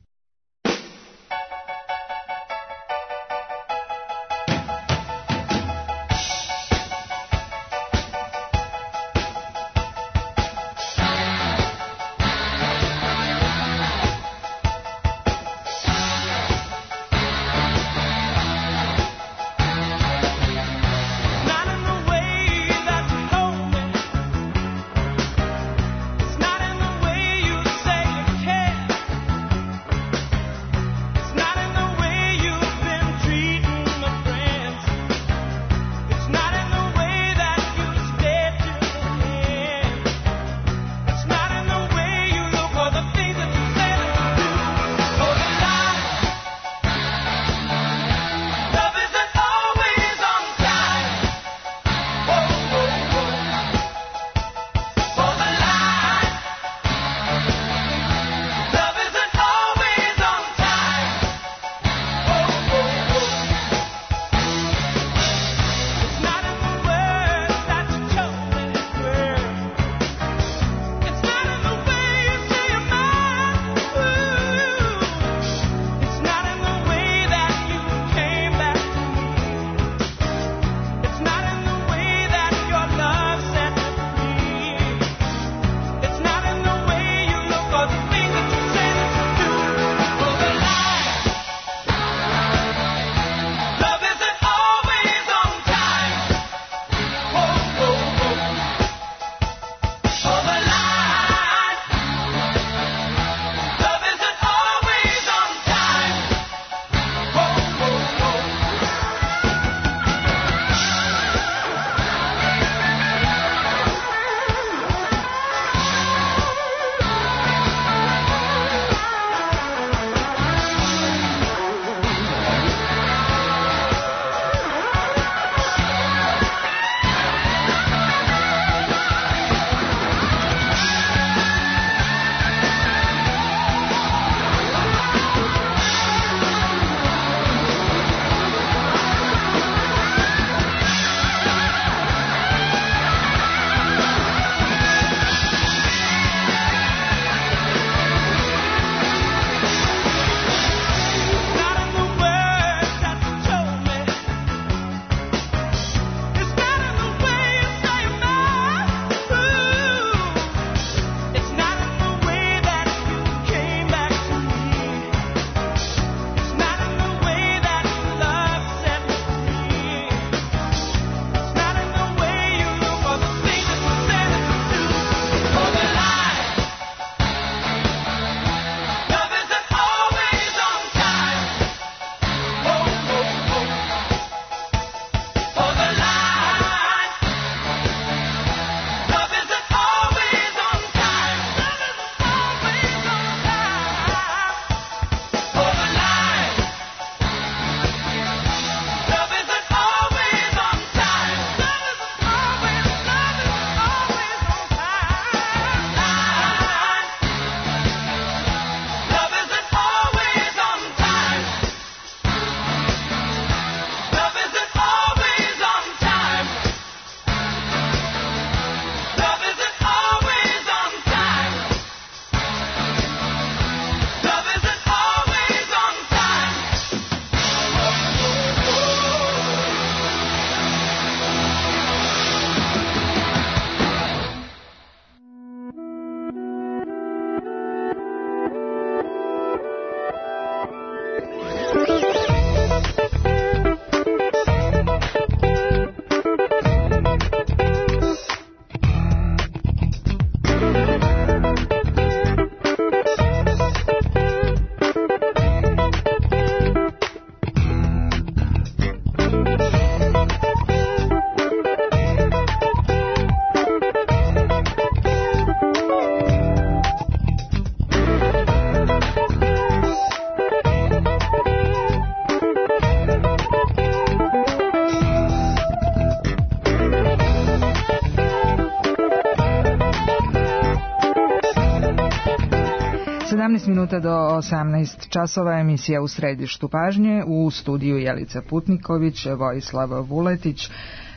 12 minuta do 18 časova, emisija U središtu pažnje, u studiju Jelica Putniković, Vojislav Vuletić.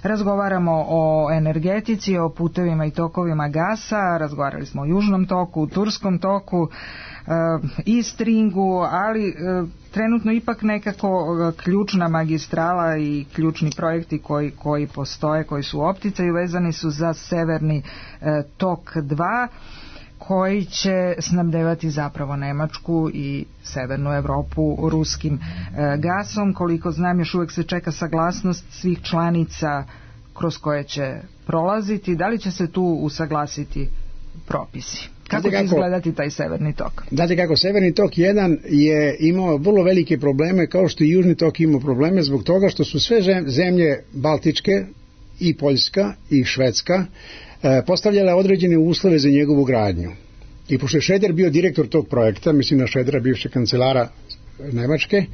Razgovaramo o energetici, o putevima i tokovima gasa, razgovarali smo o Južnom toku, Turskom toku, Istringu, ali trenutno ipak nekako ključna magistrala i ključni projekti koji postoje, koji su u opticaju, vezani su za Severni tok 2, koji će snabdevati zapravo Nemačku i Severnu Evropu ruskim gasom. Koliko znam, još uvek se čeka saglasnost svih članica kroz koje će prolaziti. Da li će se tu usaglasiti propisi? Kako će izgledati taj Severni tok? Znate kako, Severni tok 1 je imao vrlo velike probleme, kao što i Južni tok imao probleme, zbog toga što su sve zemlje Baltičke, i Poljska i Švedska, postavljala određene uslove za njegovu gradnju. I pošto je Šreder bio direktor tog projekta, mislim na Šredera, bivšeg kancelara Nemačke,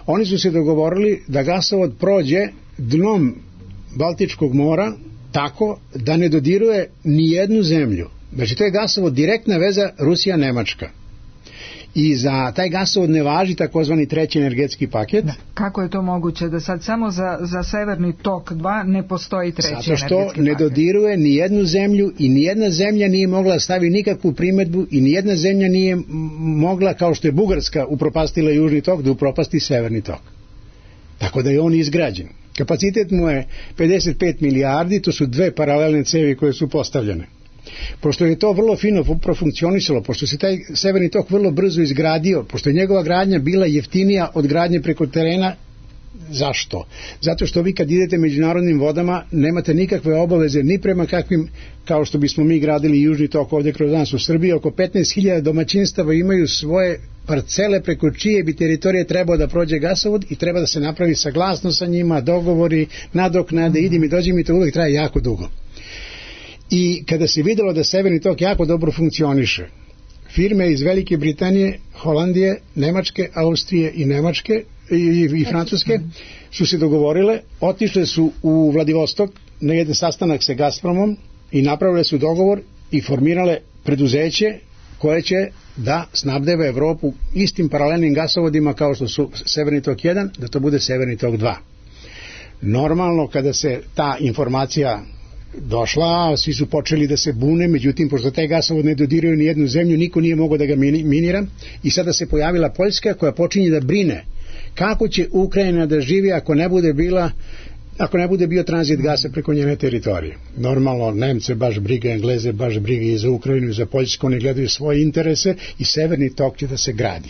oni su se dogovorili da gasovod prođe dnom Baltičkog mora tako da ne dodiruje ni jednu zemlju. Znači, to je gasovod direktna veza Rusija-Nemačka. I za taj gasovod ne važi takozvani treći energetski paket. Da. Kako je to moguće da sad samo za Severni tok 2 ne postoji treći energetski paket? Zato što ne dodiruje ni jednu zemlju i ni jedna zemlja nije mogla staviti nikakvu primedbu i ni jedna zemlja nije mogla, kao što je Bugarska upropastila Južni tok, da upropasti Severni tok. Tako da je on izgrađen. Kapacitet mu je 55 milijardi, to su dve paralelne cevi koje su postavljene. Pošto je to vrlo fino profunkcionisalo, pošto se taj Severni tok vrlo brzo izgradio, pošto je njegova gradnja bila jeftinija od gradnje preko terena, zašto? Zato što vi kad idete međunarodnim vodama nemate nikakve obaveze ni prema kakvim, kao što bismo mi gradili Južni tok ovdje kroz nas u Srbiji, oko 15.000 domaćinstava imaju svoje parcele preko čije bi teritorije trebao da prođe gasovod i treba da se napravi saglasnost sa njima, dogovori, nadoknade, idi mi, dođi mi, to uvek traje jako dugo. I kada se videlo da Severni tok jako dobro funkcioniše, firme iz Velike Britanije, Holandije, Nemačke, Austrije i Nemačke i Francuske su se dogovorile, otišle su u Vladivostok na jedan sastanak sa Gazpromom i napravile su dogovor i formirale preduzeće koje će da snabdeva Evropu istim paralelnim gasovodima kao što su Severni tok 1, da to bude Severni tok 2. Normalno, kada se ta informacija došla, svi su počeli da se bune, međutim, pošto taj gasovod ne dodiruje ni jednu zemlju, niko nije mogao da ga minira i sada se pojavila Poljska koja počinje da brine kako će Ukrajina da živi ako ne bude bio tranzit gasa preko njene teritorije. Normalno, Nemce baš briga, Engleze baš briga i za Ukrajinu i za Poljsku, oni gledaju svoje interese i Severni tok će da se gradi.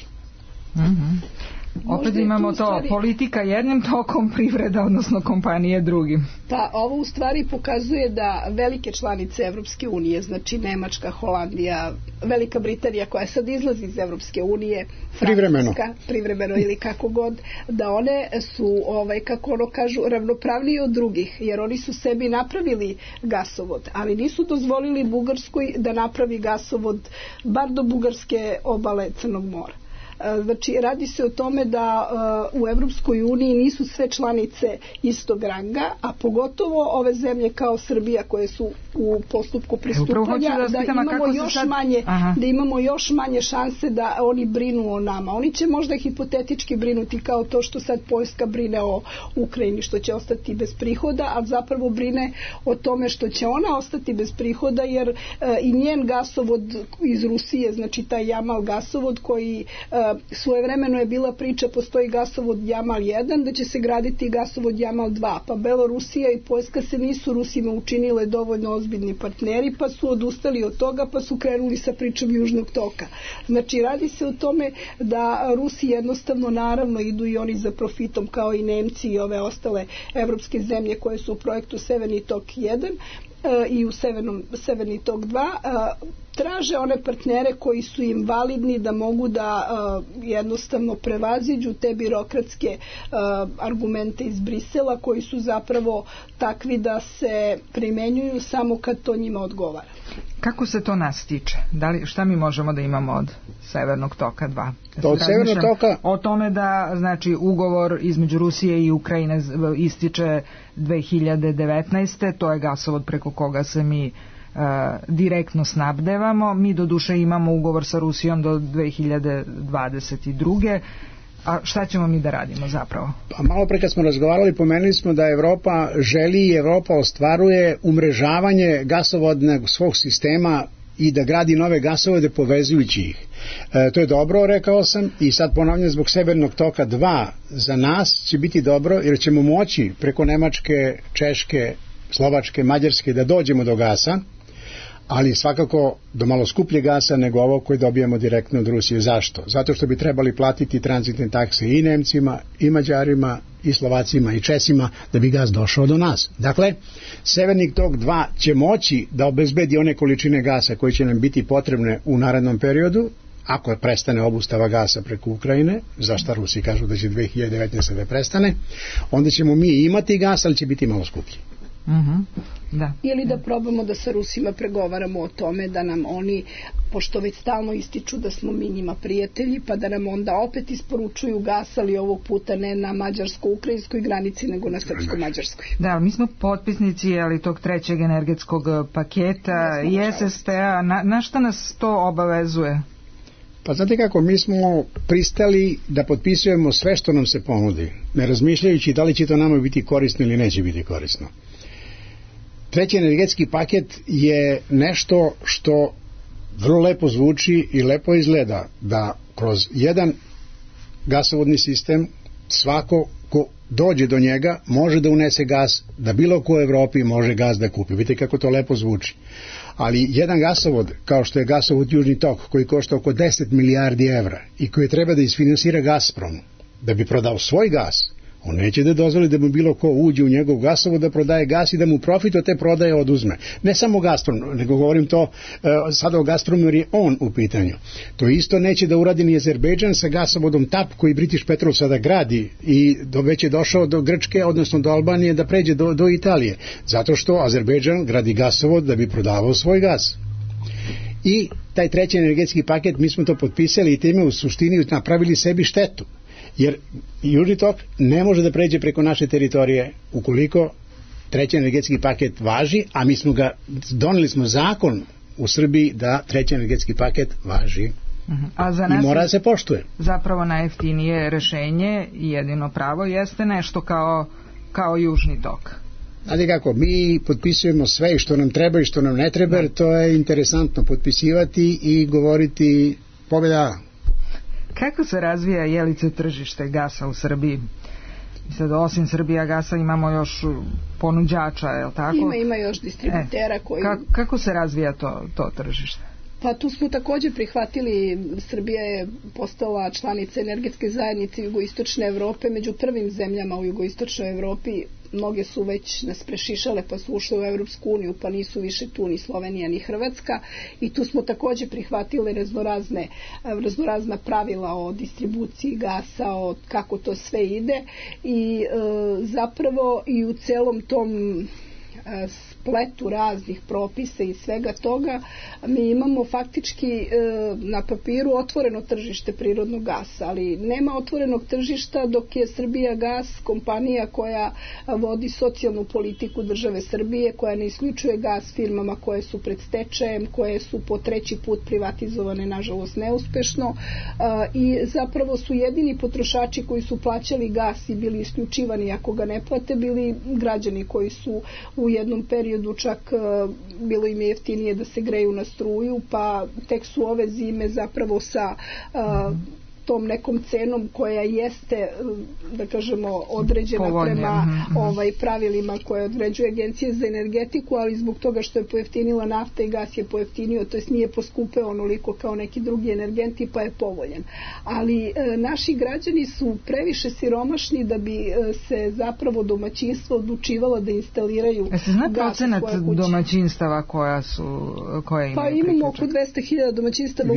Opet imamo to, politika jednim tokom, privreda, odnosno kompanije drugim. Pa ovo u stvari pokazuje da velike članice Evropske unije, znači Nemačka, Holandija, Velika Britanija koja sad izlazi iz Evropske unije, Francuska, privremeno ili kako god, da one su, kako ono kažu, ravnopravnije od drugih, jer oni su sebi napravili gasovod, ali nisu dozvolili Bugarskoj da napravi gasovod bar do bugarske obale Crnog mora. Znači, radi se o tome da u Evropskoj uniji nisu sve članice istog ranga, a pogotovo ove zemlje kao Srbija koje su u postupku pristupanja, da imamo još manje šanse da oni brinu o nama. Oni će možda hipotetički brinuti kao to što sad Poljska brine o Ukrajini, što će ostati bez prihoda, a zapravo brine o tome što će ona ostati bez prihoda, jer i njen gasovod iz Rusije, znači taj Jamal gasovod koji svojevremeno je bila priča, postoji gasovod Jamal 1, da će se graditi gasovod Jamal 2, pa Belorusija i Poljska se nisu Rusima učinile dovoljno ozbiljni partneri, pa su odustali od toga, pa su krenuli sa pričom Južnog toka. Znači, radi se o tome da Rusi jednostavno, naravno, idu i oni za profitom kao i Nemci i ove ostale evropske zemlje koje su u projektu Severni tok 1 i u Severni tok 2, traže one partnere koji su im validni da mogu da jednostavno prevaziđu te birokratske argumente iz Brisela koji su zapravo takvi da se primenjuju samo kad to njima odgovara. Kako se to nas tiče? Šta mi možemo da imamo od Severnog toka 2? Od Severnog toka? O tome da, znači, ugovor između Rusije i Ukrajine ističe 2019. To je gasovod preko koga se mi direktno snabdevamo. Mi doduše imamo ugovor sa Rusijom do 2022. A šta ćemo mi da radimo zapravo? Pa malo pre kad smo razgovarali, pomenuli smo da Evropa želi i Evropa ostvaruje umrežavanje gasovodnog svog sistema i da gradi nove gasovode povezujući ih. To je dobro, rekao sam, i sad ponavljam, zbog Severnog toka 2 za nas će biti dobro, jer ćemo moći preko Nemačke, Češke, Slovačke, Mađarske da dođemo do gasa, ali svakako do malo skuplje gasa nego ovo koje dobijamo direktno od Rusije. Zašto? Zato što bi trebali platiti tranzitne takse i Nemcima, i Mađarima, i Slovacima, i Česima, da bi gas došao do nas. Dakle, Severni tok 2 će moći da obezbedi one količine gasa koje će nam biti potrebne u narednom periodu, ako prestane obustava gasa preko Ukrajine, za šta Rusi kažu da će 2019. da prestane, onda ćemo mi imati gas, ali će biti malo skuplji. Da. Ili da probamo da sa Rusima pregovaramo o tome da nam oni, pošto već stalno ističu da smo mi njima prijatelji, pa da nam onda opet isporučuju gas, ali ovog puta ne na mađarsko-ukrajinskoj granici, nego na srpsko-mađarskoj. Da, mi smo potpisnici tog trećeg energetskog paketa i SSP-a. Na šta nas to obavezuje? Pa znate kako, mi smo pristali da potpisujemo sve što nam se ponudi, ne razmišljajući da li će to nama biti korisno ili neće biti korisno. Treći energetski paket je nešto što vrlo lepo zvuči i lepo izgleda, da kroz jedan gasovodni sistem svako ko dođe do njega može da unese gas, da bilo ko u Evropi može gas da kupi. Vidite kako to lepo zvuči. Ali jedan gasovod, kao što je gasovod Južni tok, koji košta oko 10 milijardi evra i koji treba da isfinansira Gazprom, da bi prodao svoj gas, on neće da dozvoli da mu bilo ko uđe u njegov gasovod da prodaje gas i da mu profit od te prodaje oduzme. Ne samo Gazprom, nego govorim to sada o Gazpromu jer je on u pitanju. To isto neće da uradi ni Azerbejdžan sa gasovodom TAP koji British Petrol sada gradi i već je došao do Grčke, odnosno do Albanije da pređe do Italije. Zato što Azerbejdžan gradi gasovod da bi prodavao svoj gas. I taj treći energetski paket, mi smo to potpisali i time u suštini napravili sebi štetu. Jer Južni tok ne može da pređe preko naše teritorije ukoliko treći energetski paket važi, a mi smo doneli smo zakon u Srbiji da treći energetski paket važi. A za nas i mora da se poštuje. Zapravo najjeftinije rešenje i jedino pravo jeste nešto kao Južni tok. Znate kako, mi potpisujemo sve što nam treba i što nam ne treba, jer to je interesantno potpisivati i govoriti pobjeda. Kako se razvija jelice tržište gasa u Srbiji? Sad, osim Srbija gasa imamo još ponuđača, je li tako? Ima još distributera koji... Kako se razvija to tržište? Pa tu smo također prihvatili, Srbija je postala članica energetske zajednice jugoistočne Evrope, među prvim zemljama u jugoistočnoj Evropi. Mnoge su već nas prešišale pa su ušle u Evropsku uniju, pa nisu više tu ni Slovenija ni Hrvatska, i tu smo također prihvatili raznorazna pravila o distribuciji gasa, o kako to sve ide, i zapravo i u celom tom spletu raznih propisa i svega toga mi imamo faktički na papiru otvoreno tržište prirodnog gasa, ali nema otvorenog tržišta dok je Srbija gas kompanija koja vodi socijalnu politiku države Srbije, koja ne isključuje gas firmama koje su pred stečajem, koje su po treći put privatizovane, nažalost neuspešno, i zapravo su jedini potrošači koji su plaćali gas i bili isključivani ako ga ne plate, bili građani koji su u jednom periodu čak bilo im je jeftinije da se greju na struju, pa tek su ove zime zapravo sa tom nekom cenom koja jeste, da kažemo, određena prema pravilima koje određuje Agencija za energetiku, ali zbog toga što je pojeftinila nafta i gas je pojeftinio, to jest nije poskupeo onoliko kao neki drugi energenti, pa je povoljen. Ali naši građani su previše siromašni da bi se zapravo domaćinstvo odlučivala da instaliraju gas u svoje kuće. Procenat domaćinstava koje imaju? Pa imamo oko 200.000 domaćinstava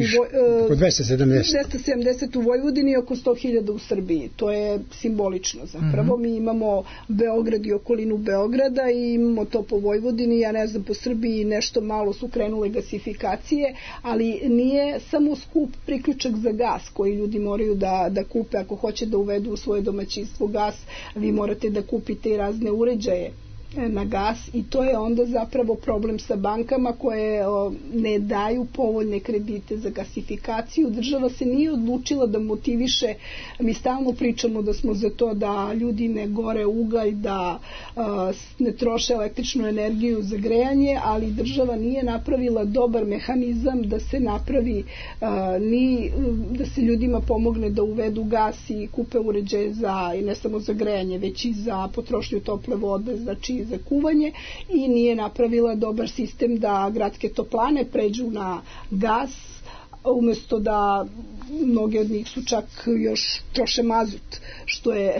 oko 270 u Vojvodini i oko 100.000 u Srbiji. To je simbolično zapravo. Mi imamo Beograd i okolinu Beograda i imamo to po Vojvodini, ja ne znam, po Srbiji nešto malo su krenule gasifikacije, ali nije samo skup priključak za gas koji ljudi moraju da kupe ako hoće da uvedu u svoje domaćinstvo gas, vi morate da kupite i razne uređaje na gas i to je onda zapravo problem sa bankama koje ne daju povoljne kredite za gasifikaciju. Država se nije odlučila da motiviše, mi stalno pričamo da smo za to da ljudi ne gore ugalj, da ne troše električnu energiju za grejanje, ali država nije napravila dobar mehanizam da se napravi ni da se ljudima pomogne da uvedu gas i kupe uređaje za, i ne samo za grejanje, već i za potrošnju tople vode, znači za kuvanje, i nije napravila dobar sistem da gradske toplane pređu na gas, umjesto da mnoge od njih su čak još troše mazut, što je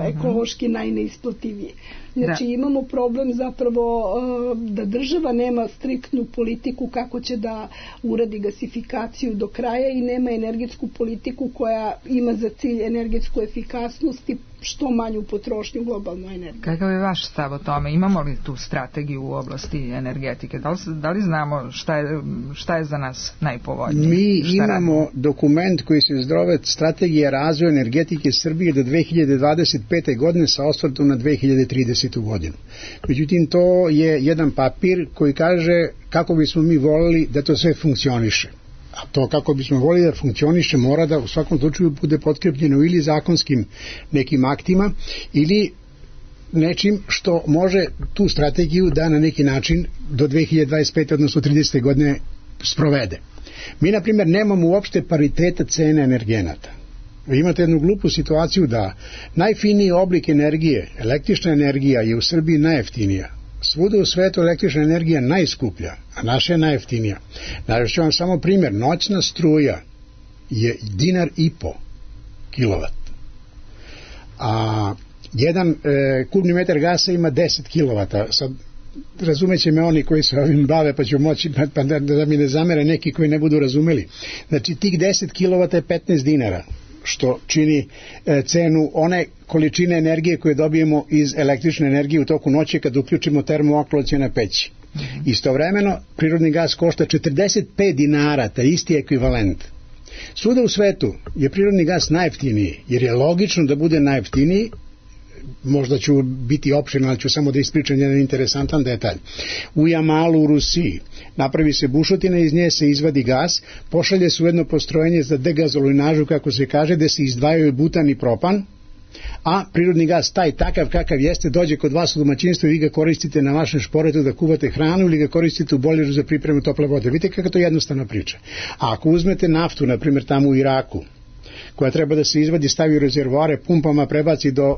ekološki najneisplativije. Znači imamo problem zapravo da država nema striktnu politiku kako će da uradi gasifikaciju do kraja i nema energetsku politiku koja ima za cilj energetsku efikasnost i što manju potrošnju globalnu energiju. Kakav je vaš stav o tome? Imamo li tu strategiju u oblasti energetike? Da li znamo šta je za nas najpovoljnije? Mi imamo dokument koji se zove Strategija razvoja energetike Srbije do 2025. godine sa osvrtom na 2030. godinu. Međutim, to je jedan papir koji kaže kako bismo mi volili da to sve funkcioniše. A to kako bismo volili da funkcioniše mora da u svakom slučaju bude potkrepljeno ili zakonskim nekim aktima ili nečim što može tu strategiju da na neki način do 2025. odnosno 30. godine sprovede. Mi, na primjer, nemamo uopšte pariteta cene energenata. Vi imate jednu glupu situaciju da najfiniji oblik energije, električna energija, je u Srbiji najjeftinija. Svuda u svetu električna energija najskuplja, a naša je najjeftinija. Navešću vam samo primjer, noćna struja je $1,50 kilovat. A jedan kubni metar gasa ima 10 kilovata. Sad razumeće me oni koji se ovim bave, pa ću moći pa da mi ne zamere neki koji ne budu razumeli. Znači tih 10 kilovata je $15, što čini cenu one količine energije koje dobijemo iz električne energije u toku noći kad uključimo termoakumulacione peći. Istovremeno prirodni gas košta $45, taj isti ekvivalent. Svuda u svetu je prirodni gas najjeftiniji, jer je logično da bude najjeftiniji. Možda ću biti opširan, ali ću samo da ispričam jedan interesantan detalj. U Jamalu u Rusiji napravi se bušotina, iz nje se izvadi gas, pošalje se u jedno postrojenje za degazolinažu, kako se kaže, gde se izdvajaju butan i propan, a prirodni gas taj takav kakav jeste dođe kod vas u domaćinstvo i vi ga koristite na vašem šporetu da kuvate hranu ili ga koristite u bojleru za pripremu tople vode. Vidite kako to jednostavna priča. A ako uzmete naftu, na primjer tamo u Iraku, koja treba da se izvadi, stavi u rezervoare, pumpama prebaci do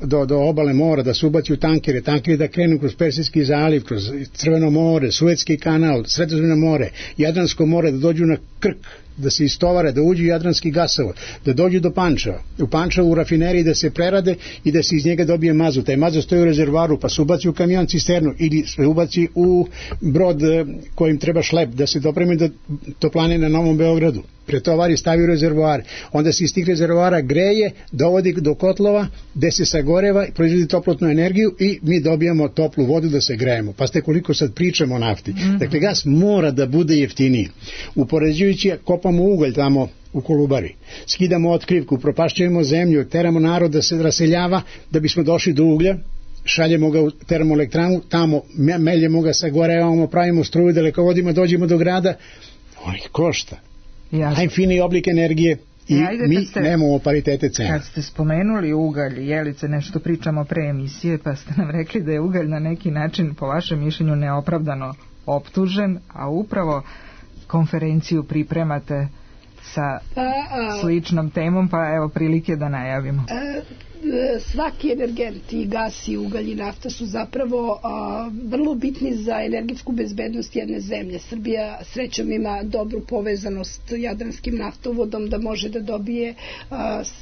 obale mora, da se ubaci u tankere da krenu kroz Persijski zaliv, kroz Crveno more, Suetski kanal, Sredozemno more, Jadransko more, da dođu na Krk, da se istovare, da uđu jadranski gasovod, da dođu do Pančeva, u Pančevu u rafineriji da se prerade i da se iz njega dobije mazut. Taj mazut stoji u rezervoaru, pa se ubaci u kamion cisternu ili se ubaci u brod kojim treba šlep da se dopremi do toplane na Novom Beogradu. Pretovari, stavi u rezervoar, onda se iz tih rezervoara greje, dovodi do kotlova gde se sagoreva, proizvodi toplotnu energiju i mi dobijamo toplu vodu da se grejemo. Pa ste koliko sad pričamo o nafti. Dakle, gas mora da bude jeftiniji. Upoređujući, kopamo ugalj tamo u Kolubari, skidamo otkrivku, propašćujemo zemlju, teramo narod da se raseljava da bismo došli do uglja, šaljemo ga u termoelektranu, tamo meljemo ga, sagorevamo, pravimo struju, dalekovodima, dođemo do grada, on ih košta. Najfiniji oblik energije i mi nemamo paritete cena. Kad ste spomenuli ugalj, Jelice, nešto pričamo pre emisije, pa ste nam rekli da je ugalj na neki način, po vašem mišljenju, neopravdano optužen, a upravo konferenciju pripremate sa sličnom temom, pa evo prilike da najavimo. Svaki energent, i gas, i ugalj, i nafta su zapravo vrlo bitni za energetsku bezbednost jedne zemlje. Srbija srećom ima dobru povezanost jadranskim naftovodom da može da dobije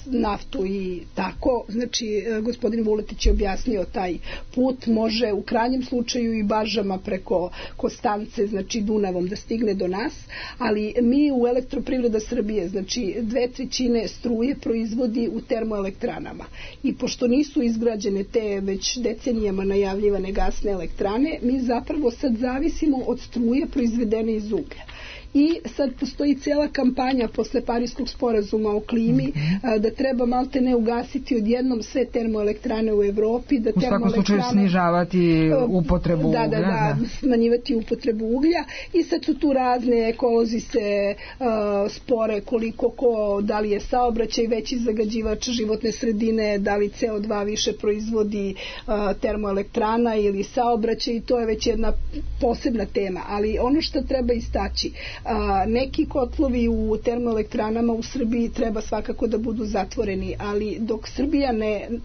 naftu i tako. Znači, gospodin Vuletić je objasnio taj put, može u krajnjem slučaju i baržama preko Konstance, znači Dunavom, da stigne do nas, ali mi u Elektroprivreda Srbije, znači 2/3 struje proizvodi u termoelektranama. I pošto nisu izgrađene te već decenijama najavljivane gasne elektrane, mi zapravo sad zavisimo od struje proizvedene iz uglja. i sad postoji cijela kampanja posle Pariskog sporazuma o klimi da treba malte ne ugasiti odjednom sve termoelektrane u Evropi, da u svakom slučaju snižavati upotrebu uglja. Da, smanjivati upotrebu uglja i sad su tu razne, ekolozi se spore koliko ko, da li je saobraćaj veći zagađivač životne sredine, da li CO2 više proizvodi termoelektrana ili saobraćaj, i to je već jedna posebna tema, ali ono što treba istaći, neki kotlovi u termoelektranama u Srbiji treba svakako da budu zatvoreni, ali dok Srbija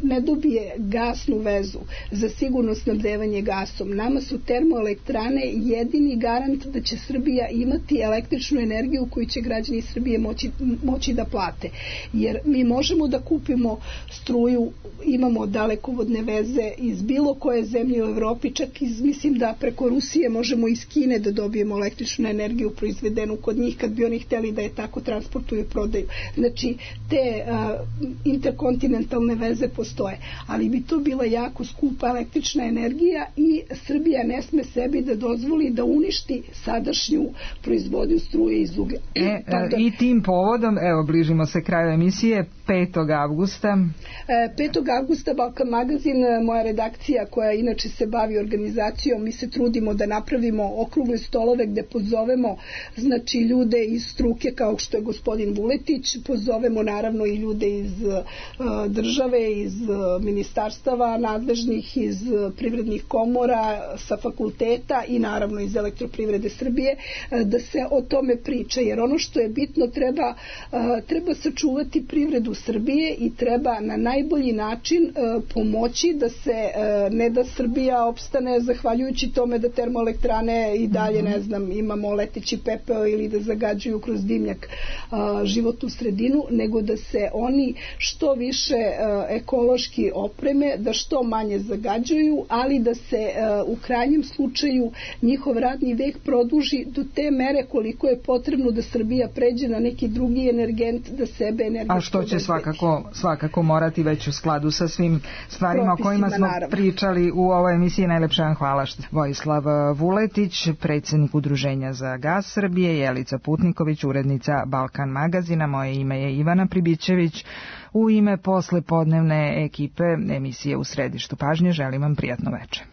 ne dobije gasnu vezu za sigurno snabdevanje gasom, nama su termoelektrane jedini garant da će Srbija imati električnu energiju koju će građani Srbije moći da plate. Jer mi možemo da kupimo struju, imamo dalekovodne veze iz bilo koje zemlje u Evropi, čak mislim da preko Rusije možemo iz Kine da dobijemo električnu energiju proizvedenu kod njih kad bi oni hteli da je tako transportuju i prodaju. Znači, te interkontinentalne veze postoje, ali bi to bila jako skupa električna energija i Srbija ne sme sebi da dozvoli da uništi sadašnju proizvodnju struje iz uglja. I tim povodom, evo, bližimo se kraju emisije, 5. avgusta. 5. avgusta Balkan magazin, moja redakcija koja inače se bavi organizacijom, mi se trudimo da napravimo okrugle stolove gde pozovemo znači ljude iz struke kao što je gospodin Vuletić, pozovemo naravno i ljude iz države, iz ministarstava nadležnih, iz privrednih komora, sa fakulteta i naravno iz Elektroprivrede Srbije, da se o tome priča, jer ono što je bitno, treba sačuvati privredu Srbije i treba na najbolji način pomoći da se, ne da Srbija opstane zahvaljujući tome da termoelektrane i dalje, ne znam, imamo leteći pepeo ili da zagađuju kroz dimnjak životnu sredinu, nego da se oni što više ekološki opreme, da što manje zagađuju, ali da se u krajnjem slučaju njihov radni vek produži do te mere koliko je potrebno da Srbija pređe na neki drugi energent, da sebe energetski. A što će svakako morati već u skladu sa svim stvarima o kojima smo pričali u ovoj emisiji. Najlepše vam hvala. Vojislav Vuletić, predsjednik Udruženja za gas Srbije, Jelica Putniković, urednica Balkan magazina, moje ime je Ivana Pribićević. U ime poslepodnevne ekipe emisije U središtu pažnje želim vam prijatno večer.